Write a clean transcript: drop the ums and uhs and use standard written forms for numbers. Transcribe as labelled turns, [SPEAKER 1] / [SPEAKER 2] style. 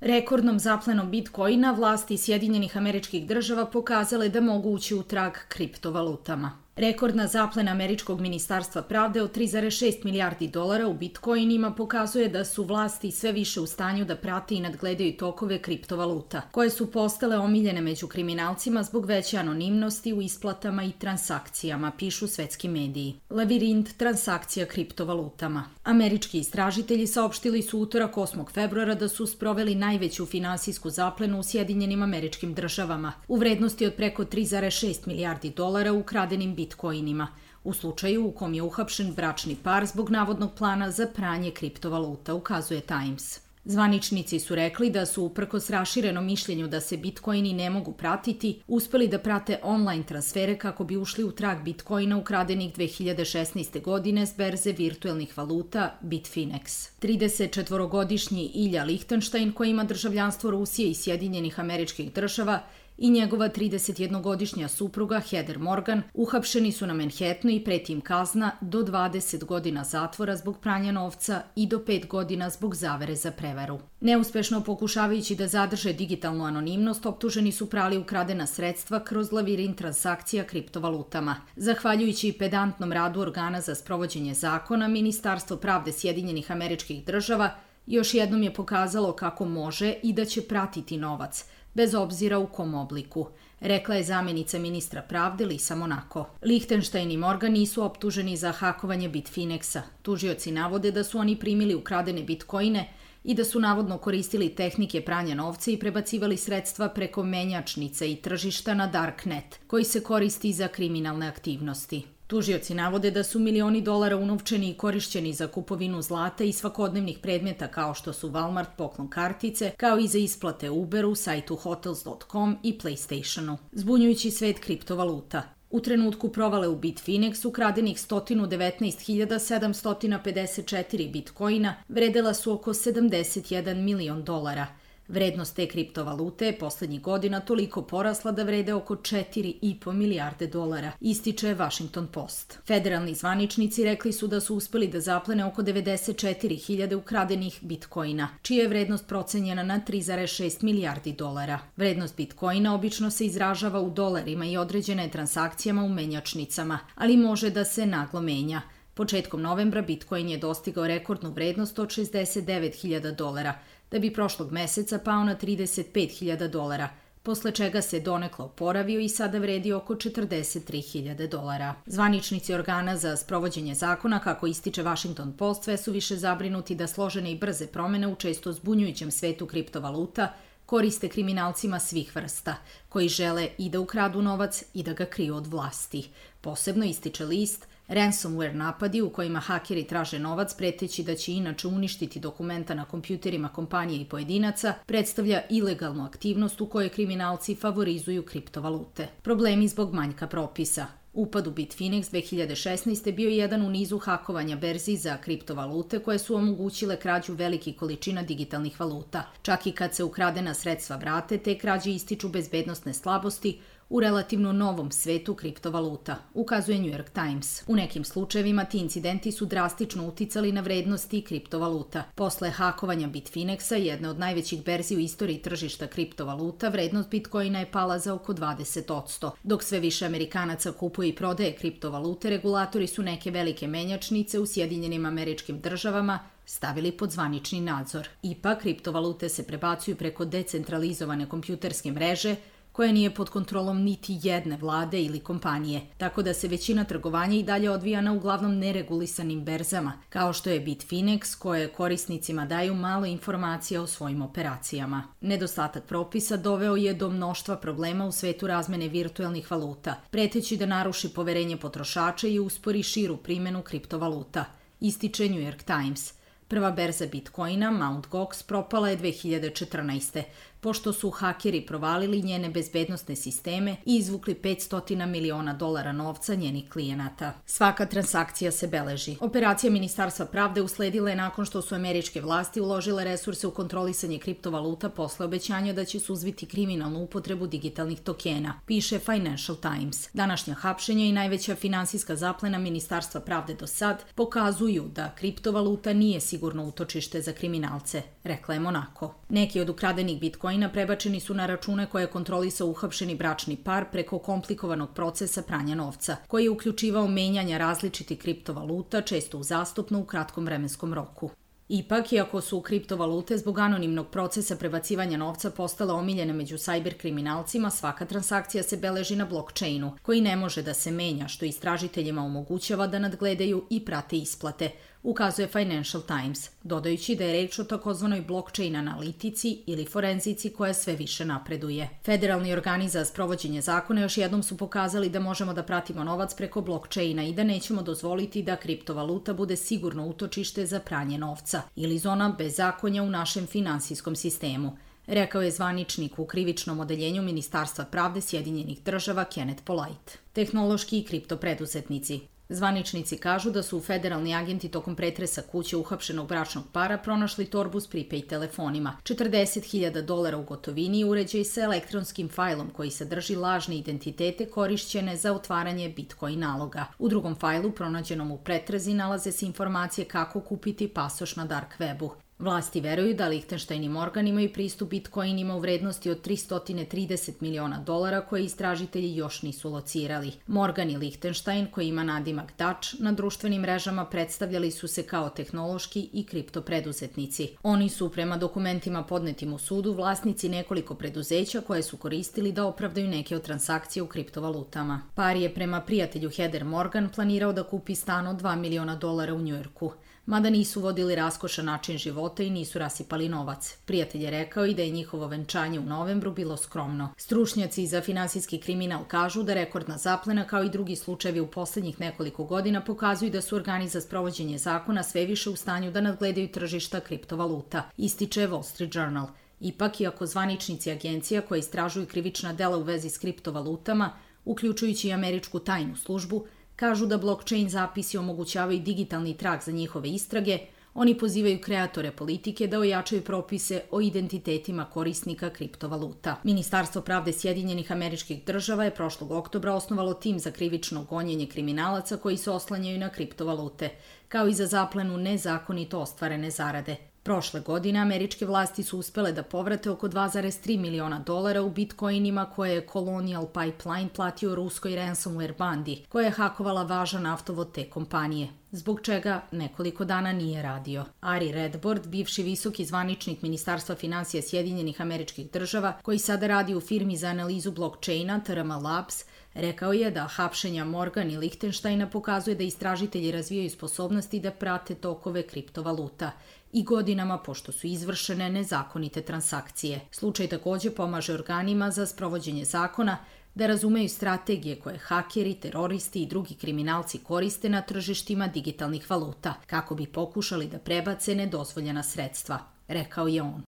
[SPEAKER 1] Rekordnom zaplenom Bitcoina vlasti Sjedinjenih Američkih Država pokazale da mogu ući u trag kriptovalutama. Rekordna zaplena Američkog ministarstva pravde od 3,6 milijardi dolara u bitcoinima pokazuje da su vlasti sve više u stanju da prate i nadgledaju tokove kriptovaluta, koje su postale omiljene među kriminalcima zbog veće anonimnosti u isplatama i transakcijama, pišu svetski mediji. Lavirint transakcija kriptovalutama. Američki istražitelji saopštili su utorak 8. februara da su sproveli najveću finansijsku zaplenu u Sjedinjenim Američkim Državama u vrednosti od preko 3,6 milijardi dolara ukradenim bitcoinima, u slučaju u kom je uhapšen bračni par zbog navodnog plana za pranje kriptovaluta, ukazuje Times. Zvaničnici su rekli da su, uprkos raširenom mišljenju da se bitcoini ne mogu pratiti, uspeli da prate online transfere kako bi ušli u trag bitcoina ukradenih 2016. godine s berze virtuelnih valuta Bitfinex. 34-godišnji Ilja Lichtenstein, koji ima državljanstvo Rusije i Sjedinjenih Američkih Država, i njegova 31-godišnja supruga Heather Morgan uhapšeni su na Manhattanu i preti im kazna do 20 godina zatvora zbog pranja novca i do 5 godina zbog zavere za prevaru. Neuspešno pokušavajući da zadrže digitalnu anonimnost, optuženi su prali ukradena sredstva kroz lavirint transakcija kriptovalutama. Zahvaljujući pedantnom radu organa za sprovođenje zakona, Ministarstvo pravde Sjedinjenih Američkih Država još jednom je pokazalo kako može i da će pratiti novac, bez obzira u kom obliku, rekla je zamjenica ministra pravde Lisa Monaco. Lichtenstein i Morgan nisu optuženi za hakovanje Bitfinexa. Tužioci navode da su oni primili ukradene bitcoine i da su navodno koristili tehnike pranja novca i prebacivali sredstva preko menjačnice i tržišta na Darknet, koji se koristi za kriminalne aktivnosti. Tužioci navode da su milioni dolara unovčeni i korišćeni za kupovinu zlata i svakodnevnih predmeta kao što su Walmart poklon kartice, kao i za isplate Uberu, sajtu Hotels.com i PlayStationu. Zbunjujući svet kriptovaluta. U trenutku provale u Bitfinex ukradenih 119.754 bitcoina vredela su oko 71 milion dolara. Vrednost te kriptovalute je poslednjih godina toliko porasla da vrede oko 4,5 milijarde dolara, ističe Washington Post. Federalni zvaničnici rekli su da su uspeli da zaplene oko 94.000 ukradenih bitcoina, čija je vrednost procenjena na 3,6 milijardi dolara. Vrednost bitcoina obično se izražava u dolarima i određena je transakcijama u menjačnicama, ali može da se naglo menja. Početkom novembra Bitcoin je dostigao rekordnu vrednost od 69.000 dolara, da bi prošlog meseca pao na 35.000 dolara, posle čega se donekle oporavio i sada vredi oko 43.000 dolara. Zvaničnici organa za sprovođenje zakona, kako ističe Washington Post, sve su više zabrinuti da složene i brze promene u često zbunjujućem svetu kriptovaluta koriste kriminalcima svih vrsta, koji žele i da ukradu novac i da ga kriju od vlasti. Posebno, ističe list, ransomware napadi u kojima hakeri traže novac preteći da će inače uništiti dokumenta na kompjuterima kompanije i pojedinaca predstavlja ilegalnu aktivnost u kojoj kriminalci favorizuju kriptovalute. Problemi zbog manjka propisa. Upad u Bitfinex 2016. bio je jedan u nizu hakovanja berzi za kriptovalute koje su omogućile krađu velikih količina digitalnih valuta. Čak i kad se ukradena sredstva vrate, te krađe ističu bezbednosne slabosti u relativno novom svetu kriptovaluta, ukazuje New York Times. U nekim slučajevima ti incidenti su drastično uticali na vrednosti kriptovaluta. Posle hakovanja Bitfinexa, jedne od najvećih berzi u istoriji tržišta kriptovaluta, vrednost bitcoina je pala za oko 20%. Dok sve više Amerikanaca kupuje i prodaje kriptovalute, regulatori su neke velike menjačnice u Sjedinjenim Američkim Državama stavili pod zvanični nadzor. Ipak, kriptovalute se prebacuju preko decentralizovane kompjuterske mreže, koja nije pod kontrolom niti jedne vlade ili kompanije, tako da se većina trgovanja i dalje odvija na uglavnom neregulisanim berzama, kao što je Bitfinex, koje korisnicima daju malo informacija o svojim operacijama. Nedostatak propisa doveo je do mnoštva problema u svetu razmene virtuelnih valuta, preteći da naruši poverenje potrošača i uspori širu primjenu kriptovaluta, ističe New York Times. Prva berza bitcoina, Mt. Gox, propala je 2014. pošto su hakeri provalili njene bezbednosne sisteme i izvukli 500 miliona dolara novca njenih klijenata. Svaka transakcija se beleži. Operacija Ministarstva pravde usledila je nakon što su američke vlasti uložile resurse u kontrolisanje kriptovaluta posle obećanja da će suzbiti kriminalnu upotrebu digitalnih tokena, piše Financial Times. Današnja hapšenja i najveća finansijska zaplena Ministarstva pravde do sad pokazuju da kriptovaluta nije sigurna sigurno utočište za kriminalce, rekla je Monako. Neki od ukradenih bitcoina prebačeni su na račune koje je kontrolisao uhapšeni bračni par preko komplikovanog procesa pranja novca, koji je uključivao menjanja različitih kriptovaluta, često uzastopno u kratkom vremenskom roku. Ipak, iako su kriptovalute zbog anonimnog procesa prebacivanja novca postale omiljene među sajber kriminalcima, svaka transakcija se beleži na blockchainu, koji ne može da se menja, što istražiteljima omogućava da nadgledaju i prate isplate, ukazuje Financial Times, dodajući da je reč o takozvanoj blockchain analitici ili forenzici koja sve više napreduje. Federalni organi za sprovođenje zakona još jednom su pokazali da možemo da pratimo novac preko blockchaina i da nećemo dozvoliti da kriptovaluta bude sigurno utočište za pranje novca ili zona bezakonja u našem finansijskom sistemu, rekao je zvaničnik u krivičnom odeljenju Ministarstva pravde Sjedinjenih država Kenneth Polite. Tehnološki i kriptopreduzetnici. Zvaničnici kažu da su federalni agenti tokom pretresa kuće uhapšenog bračnog para pronašli torbu s prepaid telefonima, $40.000 u gotovini i uređaj sa elektronskim fajlom koji sadrži lažne identitete korišćene za otvaranje Bitcoin naloga. U drugom fajlu, pronađenom u pretrazi, nalaze se informacije kako kupiti pasoš na dark webu. Vlasti veruju da Lichtenstein i Morgan imaju pristup bitcoinima u vrednosti od $330 miliona koje istražitelji još nisu locirali. Morgan i Lichtenstein, koji ima nadimak Dutch, na društvenim mrežama predstavljali su se kao tehnološki i kriptopreduzetnici. Oni su, prema dokumentima podnetim u sudu, vlasnici nekoliko preduzeća koje su koristili da opravdaju neke od transakcija u kriptovalutama. Par je, prema prijatelju Heather Morgan, planirao da kupi stan od $2 miliona u Njujorku. Mada nisu vodili raskošan način života i nisu rasipali novac. Prijatelj je rekao i da je njihovo venčanje u novembru bilo skromno. Stručnjaci za finansijski kriminal kažu da rekordna zaplena, kao i drugi slučajevi u poslednjih nekoliko godina, pokazuju da su organi za sprovođenje zakona sve više u stanju da nadgledaju tržišta kriptovaluta, ističe Wall Street Journal. Ipak, iako zvaničnici agencija koje istražuju krivična dela u vezi s kriptovalutama, uključujući i američku tajnu službu, kažu da blockchain zapisi omogućavaju digitalni trag za njihove istrage, oni pozivaju kreatore politike da ojačaju propise o identitetima korisnika kriptovaluta. Ministarstvo pravde Sjedinjenih Američkih Država je prošlog oktobra osnovalo tim za krivično gonjenje kriminalaca koji se oslanjaju na kriptovalute, kao i za zaplenu nezakonito ostvarene zarade. Prošle godine američke vlasti su uspele da povrate oko $2,3 miliona u bitcoinima koje je Colonial Pipeline platio ruskoj ransomware bandi, koja je hakovala važan naftovod te kompanije, zbog čega nekoliko dana nije radio. Ari Redbord, bivši visoki zvaničnik Ministarstva finansija Sjedinjenih Američkih Država, koji sada radi u firmi za analizu blockchaina TRM Labs, rekao je da hapšenja Morgan i Lichtensteina pokazuje da istražitelji razvijaju sposobnosti da prate tokove kriptovaluta i godinama pošto su izvršene nezakonite transakcije. Slučaj takođe pomaže organima za sprovođenje zakona da razumeju strategije koje hakeri, teroristi i drugi kriminalci koriste na tržištima digitalnih valuta, kako bi pokušali da prebace nedozvoljena sredstva, rekao je on.